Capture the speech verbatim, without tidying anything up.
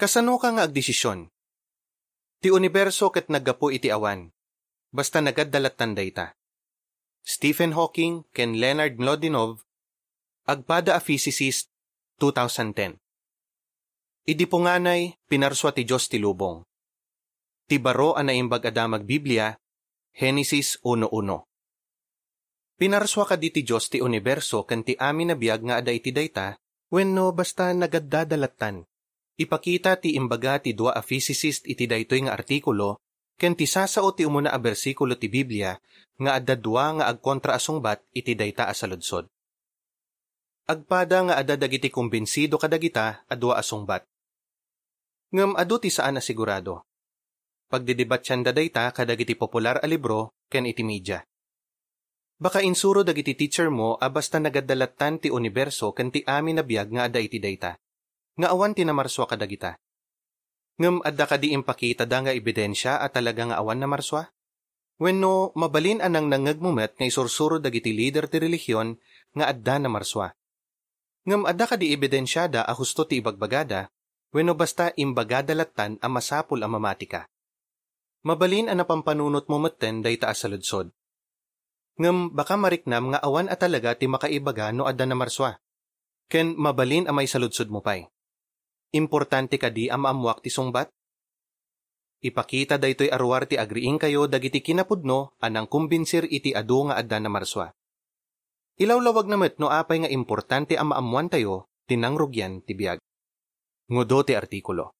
Kasanoka nga agdesision? Ti uniberso ket naggapu iti awan. Basta nagadda lattan dayta. Stephen Hawking ken Leonard Mlodinov, agpada a physicist, two thousand ten. Idi punganay, pinarsua ti Dios ti lubong. Ti baro a naimbag a damag Biblia, Genesis uno uno. Pinarsua kadi ti Dios ti uniberso ken ti amin a biag nga adda iti dayta, wenno basta nagaddada lattan? Ipakita ti imbaga ti dua a physicist iti daytoy nga artikulo ken ti sasao ti umuna a bersikulo ti Biblia nga adda dua nga agkontra a sungbat iti dayta a saludsod. Agpada nga adda dagiti kumbinsido kadagita a dua a sungbat. Ngem adu ti saan a sigurado. Pagdidebatianda dayta kadagiti popular a libro ken iti media. Baka insuro dagiti teacher mo a basta nagadda lattan ti uniberso ken ti amin a biag nga adda iti dayta, nga awan ti namarsua kadagita. Ngem adda kadi impakitada nga ebidensia a talaga nga awan namarsua? Wenno mabalin a nangnangngegmo met nga isursuro dagiti lider ti relihion nga adda namarsua? Ngem adda kadi ebidensiada a husto ti ibagbagada, wenno basta imbagada lattan a masapul a mamatika? Mabalin a napampanunotmo metten dayta a saludsod. Ngem baka mariknam nga awan a talaga ti makaibaga no adda namarsua. Ken mabalin a maisaludsodmo pay. Importante kadi a maammuak ti sungbat? Ipakita daytoy a ruar ti agriingkayo dagiti kinapudno a nangkumbinsir iti adu nga adda namarsua. Ilawlawagna met no apay nga importante a maammoantayo ti nangrugian ti biag. Ngudo ti artikulo.